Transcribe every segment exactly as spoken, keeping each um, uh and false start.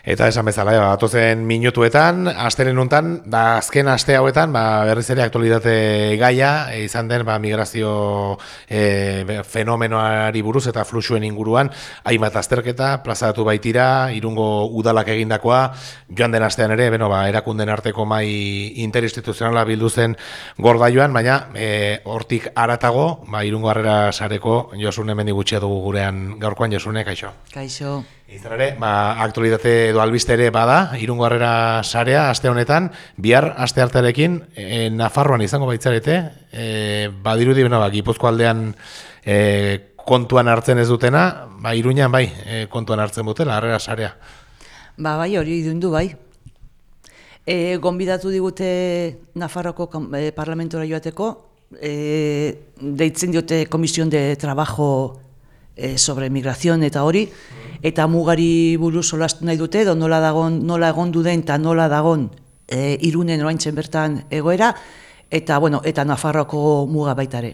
Eta esan bezala, ja, datozen minutuetan, astelen untan, da azken aste hauetan, ba, berriz ere aktualitate gaia, e, izan den ba, migrazio e, fenomenoari buruz eta fluxuen inguruan, hainbat azterketa, plazaratu baitira, Irungo udalak egindakoa, joan den astean ere, beno, ba, erakunden arteko mai interinstituzionala bildu zen gordaioan, baina e, hortik aratago, ba, Irungo Harrera Sareko Josune hemen gutxia dugu gurean gaurkoan. Josune, kaixo. Kaixo. Izan ere, ba, aktualitate edo albiste ere bada, Irungo Harrera Sarea aste honetan, bihar aste artearekin e, Nafarroan izango baitzarete, e, badirudi, beno, ba, Gipuzko aldean e, kontuan hartzen ez dutena, ba, Iruñan bai, e, kontuan hartzen dutela Harrera Sarea. Ba, bai, hori idundu bai. E, gonbidatu digute Nafarroko e, parlamentora joateko, e, deitzen diote Komisión de Trabajo e, sobre migración eta hori, eta mugari buruz solastu nahi dute, edo nola dagon, nola egondu den eta nola dagon e, Irunen oraintzen bertan egoera, eta bueno, eta Nafarroako muga baitare.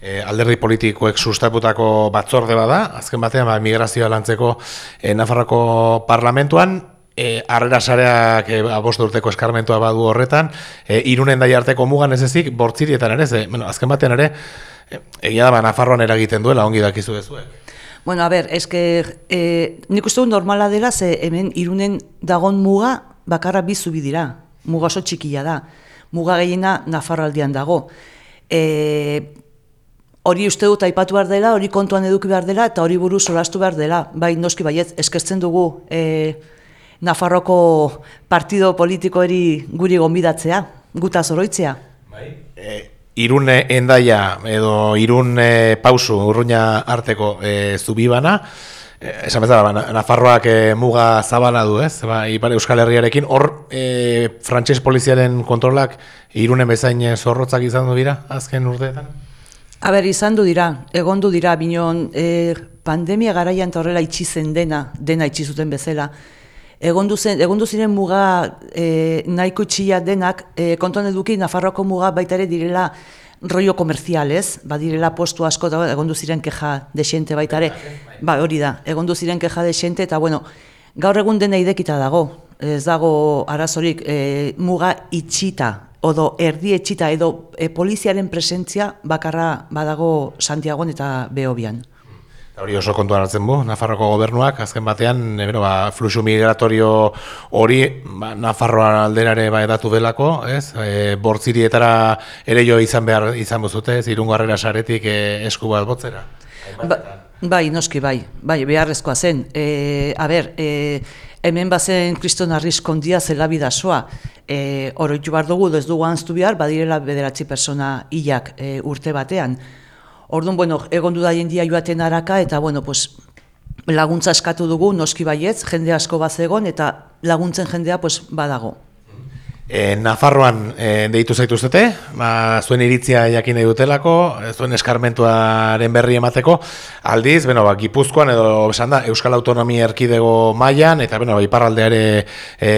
E, alderdi politikoek sustaputako batzorde bada, azken batean ba, migrazioa lantzeko e, Nafarroako parlamentuan, e, Harrera Sareak e, bost urteko eskarmentua badu horretan, e, Irunen dai arteko mugan ez ezik, bortzirietan ere, ze, bueno, azken batean ere, e, egia da ba, Nafarroan eragiten duela, ongi dakizu dezuek. Bueno, a ber, eske, eh, nik uste dut normala dela, ze hemen Irunen dagon muga bakarra bi zubi dira. Muga oso txikia da. Muga gehiena Nafarroaldean dago. E, hori uste dut aipatu behar dela, hori kontuan eduki behar dela, eta hori buruz solastu behar dela. Bai, noski baiet, eskertzen dugu e, Nafarroko partido politikoeri guri gonbidatzea, guta zoroitzea. Bai, e Irun Endaia edo Irun e, Pausu Urruña arteko e, zubibana, e, esan bezala, ba, Nafarroak e, muga zabala du, ez? Ba, Ipar Euskal Herriarekin, hor e, frantses poliziaren kontrolak Irunen bezain zorrotzak izan du dira, azken urteetan? A ber, izan du dira, egondu dira, binon, e, pandemia garaian eta horrela itxi zen dena, dena itxi zuten bezala. Egondu zen, egondu ziren muga e, nahiko itxia denak, e, kontuan eduki Nafarroako muga baita ere direla rollo komerzial, ez? Ba direla postu asko, eta egondu ziren keja desente baita ere. Ba hori da, egondu ziren keja desente, eta bueno, gaur egun dena idekita dago, ez dago arazorik e, muga itxita, odo erdi etxita, edo e, poliziaren presentzia bakarra badago Santiagoan eta Behobian. Hori oso kontuan hartzen bu, Nafarroko gobernuak, azken batean, e, bero, ba, fluxu migratorio hori ba, Nafarroa alderare ba, edatu delako, ez? E, bortzirietara ere jo izan behar izan buzute, ez? Irungo Harrera Saretik e, esku bat botzera? Ba, bai, noski, bai, bai, beharrezkoa zen. E, a ber, e, hemen bazen Kriston Arriskondia zela bidazoa, e, oroitu behar dugu, ez dugu anztu behar, badirela bederatzi persona hilak e, urte batean. Orduan, bueno, egon du da jendia joaten araka, eta, bueno, pues, laguntza eskatu dugu, noski baietz, jende asko bazegon, eta laguntzen jendea, pues, badago. E, Nafarroan e, deitu zaituztete, ba, zuen iritzia jakin nahi dutelako, zuen eskarmentuaren berri emateko, aldiz, beno, ba, Gipuzkoan edo esan da, Euskal Autonomia Erkidego mailan, eta beno, ba, iparraldeare e,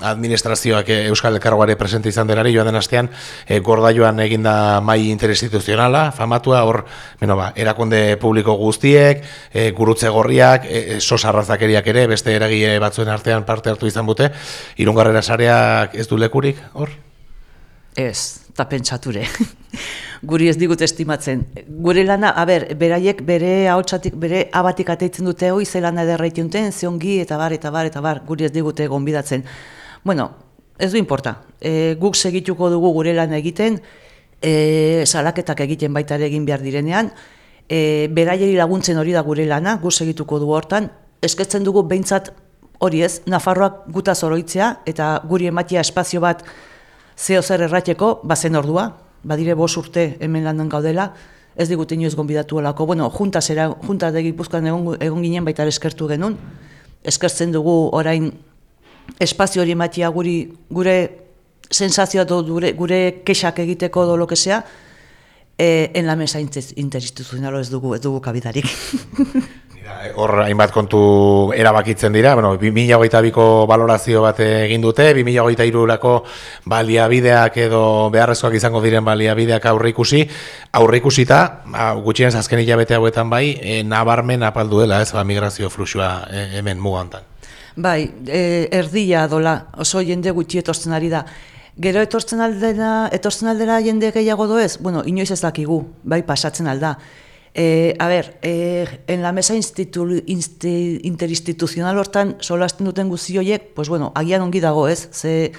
administrazioak e, Euskal Elkargoare presente izan denari, joan den astean, e, gordaioan eginda mai interinstituzionala, famatua, hor, beno, ba, erakunde publiko guztiek, e, gurutze gorriak, e, sos arrazakeriak ere, beste eragile batzuen artean parte hartu izan dute, Irungo Harrera Sareak ez du lekurik, hor? Ez, eta pentsature. Guri ez digut estimatzen. Gure lana, a ber, beraiek bere ahotsatik, bere abatik ateitzen dute hoi, ze lana ederraiten duten, ze ongi, eta bar, eta bar, eta bar, guri ez digute gonbidatzen. Bueno, ez du importa. E, guk segituko dugu gure lana egiten, e, salaketak egiten baita ere egin behar direnean, e, beraieri laguntzen hori da gure lana, guk segituko dugu hortan, eskertzen dugu behintzat hori ez, Nafarroak guta zoroitzea, eta guri ematia espazio bat zeo zer errateko, bazen ordua, badire bost urte hemen landan gaudela, ez digute inoiz gonbidatu olako. Bueno, junta zera, junta de Gipuzkoan egon, egon ginen baita eskertu genuen, eskertzen dugu orain espazio hori ematia guri, gure sensazioa do, gure, gure kexak egiteko do lo que sea, eh, en la mesa interinstituzional ez dugu, ez dugu kabidarik. Hor hainbat kontu erabakitzen dira, bueno, bi mila hogeita biko balorazio bat egin dute, bi mila hogeita hirurako baliabideak edo beharrezkoak izango diren baliabideak aurreikusi, aurreikusita, gutxienez azken hilabete hauetan bai, e, nabarmen apaldu dela, ez, ba, migrazio fluxua e, hemen muga hontan. Bai, e, erdia dola, oso jende gutxi etortzen ari da. Gero etortzen aldera, etortzen aldera jende gehiago doez? Bueno, inoiz ez dakigu, bai, pasatzen alda. E, a ber, e, en la mesa institu, insti, interinstituzional hortan solasten duten guzi horiek, pues bueno, agian ongi dago ez, ze,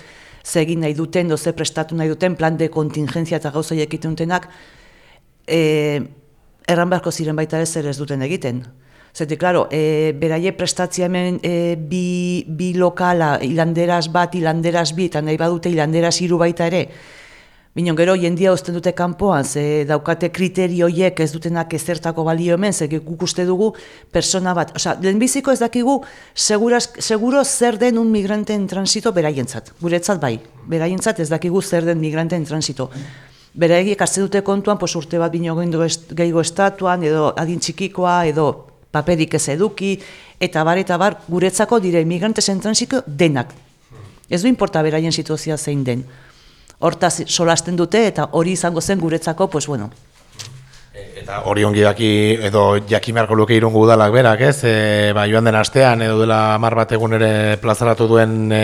ze egin nahi duten, do ze prestatu nahi duten, plan de kontingentzia eta gauza horiek egiten dutenak, e, erran beharko ziren baita ez zer ez duten egiten. Zete, klaro, e, beraie prestatzia hemen e, bi, bi lokala, hilanderaz bat, hilanderaz bi, eta nahi badute hilanderaz hiru baita ere. Binon, gero, jendia uzten dute kanpoan, ze daukate kriterioiek ez dutenak ezertako balio hemen, ze guk uste dugu persona bat. Osa, lehenbiziko ez dakigu, seguraz, seguro zer den un migranteen transito beraientzat. Guretzat bai, beraientzat ez dakigu zer den migranteen transito. Beraiek hartzen dute kontuan, pos urte bat bino gehiago estatuan, edo adin txikikoa, edo paperik ez eduki, eta bar, eta bar, guretzako dire migrantezen transiko denak. Ez du importa beraien situazioa zein den. Hortaz solasten dute, eta hori izango zen guretzako, pues bueno. Eta hori ongi daki, edo jakin beharko luke Irungo udalak berak, ez? E, ba, joan den astean, edo dela hamar bat egun ere plazaratu duen e,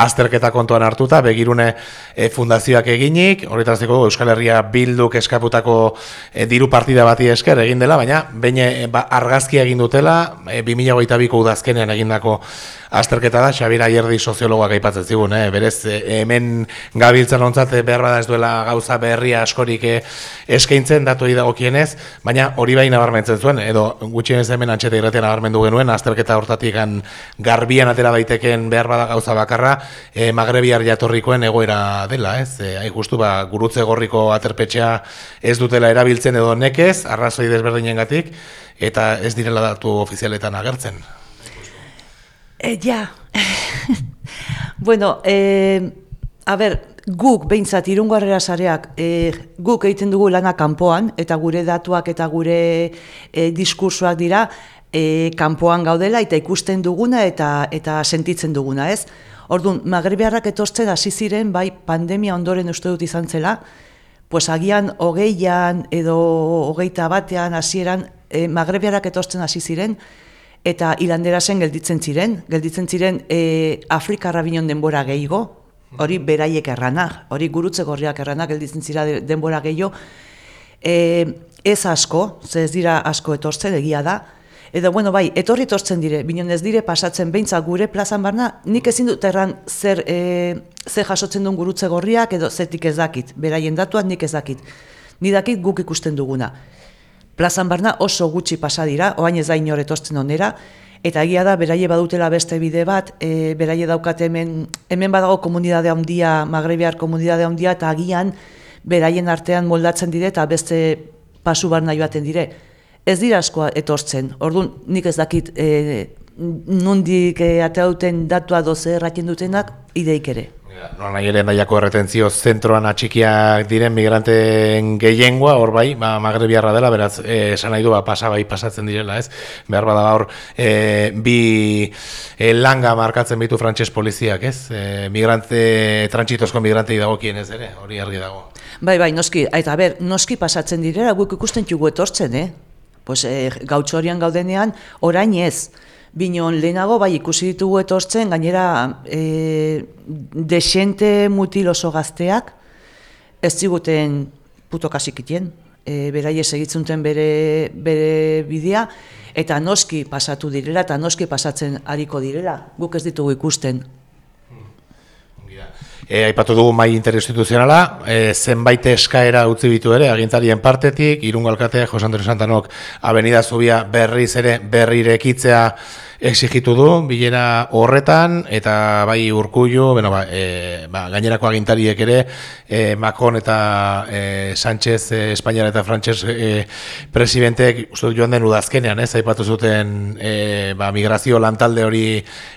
azterketa kontuan hartuta, begirune e, fundazioak eginik, horretaziko Euskal Herria Bilduk eskaputako e, diru partida bati esker egin dela, baina baina e, ba, argazkia egin dutela, e, bi mila hogeita biko udazkenean egindako azterketa da, Xabier Ayerdi soziologoak aipatzen zigun, eh? Berez, eh, hemen gabiltzan ontzat behar bada ez duela gauza berria askorik eh, eskaintzen datuei dagokienez, baina hori bai nabarmentzen zuen, edo gutxienez hemen antxeta irratian nabarmendu genuen, azterketa hortatik garbian atera daiteken behar bada gauza bakarra, eh, magrebiar jatorrikoen egoera dela, ez? Eh, hain justu, ba, gurutze gorriko aterpetxea ez dutela erabiltzen edo nekez, arrazoi desberdinengatik, eta ez direla datu ofizialetan agertzen. E, ja, bueno, e, a ber, guk behintzat Irungo Harrera Sareak, e, guk egiten dugu lana kanpoan, eta gure datuak eta gure e, diskursoak dira e, kanpoan gaudela, eta ikusten duguna eta eta sentitzen duguna, ez? Orduan, magrebiarrak etortzen hasi ziren, bai, pandemia ondoren uste dut izan zela, pues agian hogeian edo hogeita batean hasieran e, magrebiarrak etortzen hasi ziren, eta hilanderasen gelditzen ziren, gelditzen ziren e, Afrikarra binon denbora gehiago, hori beraiek erranak, hori gurutze gorriak erranak gelditzen zira denbora gehiago, e, ez asko, ze ez dira asko etortzen, egia da, edo, bueno, bai, etorri etortzen dire, binon ez dire pasatzen behintzat gure plazan barna, nik ezin dut erran zer, e, zer jasotzen duen gurutze gorriak, edo zetik ez dakit, beraien datuak nik ez dakit, ni dakit guk ikusten duguna. Plazan barna oso gutxi pasa dira, oain ez da inor etortzen onera, eta egia da, beraie badutela beste bide bat, e, beraie daukate hemen, hemen badago komunidade handia, magrebiar komunidade handia, eta agian beraien artean moldatzen dire, eta beste pasu barna joaten dire. Ez dira askoa etortzen, orduan nik ez dakit e, nondik e, atea duten datua doze erraten dutenak, ideik ere. Nola nahi ere nahiako erretentzio zentroan atxikiak diren migranteen gehiengoa, hor bai, ba, magrebiarra dela, beraz, eh, esan nahi du, ba, pasa bai pasatzen direla, ez? Behar bada hor, eh, bi eh, langa markatzen bitu frantses poliziak, ez? Eh, migrante, trantsitozko migrantei dagokien ez ere, hori argi dago. Bai, bai, noski, eta ber, noski pasatzen direla, guk ikusten txugu etortzen, eh? Pues, eh, gautxorian gaudenean, orain ez. Binon lehenago bai ikusi ditugu etortzen, gainera e, desente mutil oso gazteak, ez ziguten puto kasikitien, e, beraie segitzunten bere, bere bidea, eta noski pasatu direla, eta noski pasatzen hariko direla, guk ez ditugu ikusten. E, aipatu dugu mai interinstituzionala, e, zenbait eskaera utzi bitu ere, agintarien partetik, Irungo alkateak, Jose Antonio Santanok, Avenida Zubia berriz ere berrirekitzea exigitu du, bilera horretan, eta bai Urkullu, bueno, ba, e, ba, gainerako agintariek ere, e, Macron eta e, Sánchez, e, Espainiar eta Frantses e, presidentek, uste joan den udazkenean, ez, aipatu zuten e, ba, migrazio lantalde hori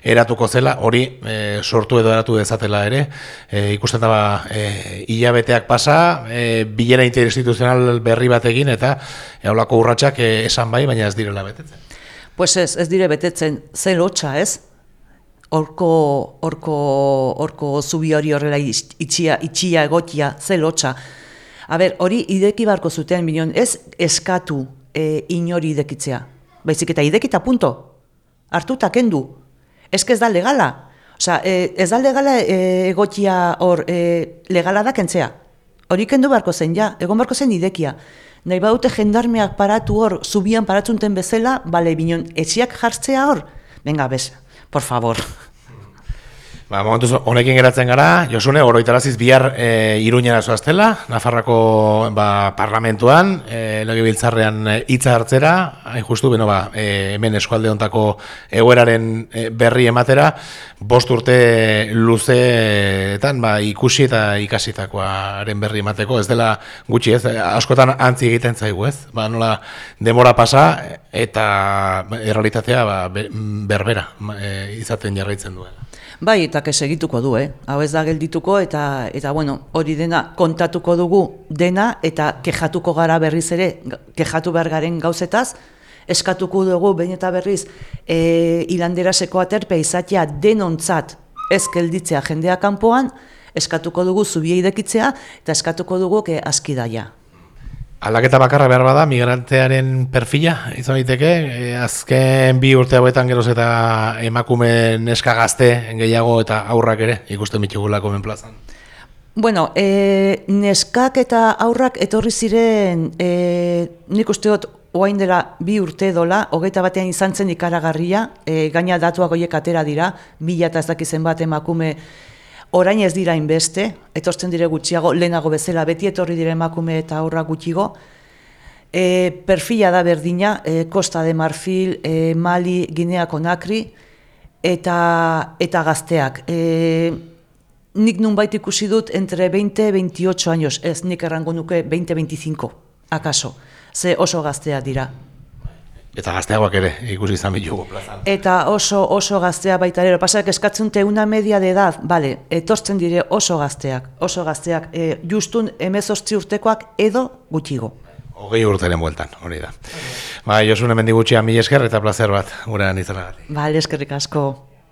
eratuko zela, hori e, sortu edo eratu dezatela ere, e, ikusten da ba, e, hilabeteak pasa, e, bilera interinstituzional berri batekin, eta eolako urratsak e, esan bai, baina ez direla betetzen. Pues ez, ez dire betetzen, ze lotxa, ez? Horko, horko, horko zubi hori horrela itxia, itxia egotia, ze lotxa. A ber, hori ideki barko zuten, bineon, ez eskatu e, inori idekitzea. Baizik eta idekita punto. Hartuta kendu. Ez que ez da legala. Osea, e, ez da legala e, egokia hor, e, legala da kentzea. Hori kendu beharko zen, ja, egon beharko zen idekia. Nahi badute jendarmeak paratu hor, zubian paratzunten bezala, bale, binon, etxiak jartzea hor? Venga, bez, por favor. Ba, momentuz honekin geratzen gara, Josune, oroitaraziz bihar e, Iruñera zoaztela, Nafarroako ba, parlamentuan, e, legebiltzarrean hitza hartzera, hain justu, beno ba, e, hemen eskualde hontako egoeraren e, berri ematera, bost urte luzeetan ba, ikusi eta ikasitakoaren berri emateko, ez dela gutxi ez, askotan antzi egiten zaigu ez, ba, nola demora pasa eta errealitatea ba, berbera e, izaten jarraitzen duela. Bai, eta segituko du, eh? Hau ez da geldituko, eta, eta bueno, hori dena kontatuko dugu dena, eta kejatuko gara berriz ere, kejatu behar garen gauzetaz, eskatuko dugu behin eta berriz e, hilanderaseko aterpe izatea denontzat ez gelditzea jendea kanpoan, eskatuko dugu zubia idekitzea, eta eskatuko dugu ke askidaia. Aldaketa bakarra behar bada, migrantearen perfila, izan daiteke, e, azken bi urte hauetan geroz eta emakume neska gazte gehiago eta aurrak ere ikusten bitugulako hemen plazan. Bueno, e, neskak eta aurrak etorri ziren, e, nik uste dut oain dela bi urte dola, hogeita batean izan zen ikaragarria, e, gaina datuak horiek atera dira, mila eta ez dakizen bat emakume. Orain ez dira inbeste, etortzen dire gutxiago, lehenago bezala, beti etorri dire emakume eta aurra gutxigo. E, perfila da berdina, e, Costa de Marfil, e, Mali, Guinea Conakry, eta, eta gazteak. E, nik nunbait ikusi dut entre veinte veintiocho años, ez nik errango nuke veinte veinticinco, akaso, ze oso gazteak dira. Eta gazteagoak ere ikusi izan bitugu plazan. Eta oso oso gaztea baita ere, pasak eskatzen te una media de edad, bale, etortzen dire oso gazteak, oso gazteak, e, justun hemezortzi urtekoak edo gutxigo. Hogei urteren bueltan, hori da. Ba, Josune Mendigutxea, mila esker eta plazer bat, gurean izanagatik. Bale, eskerrik asko.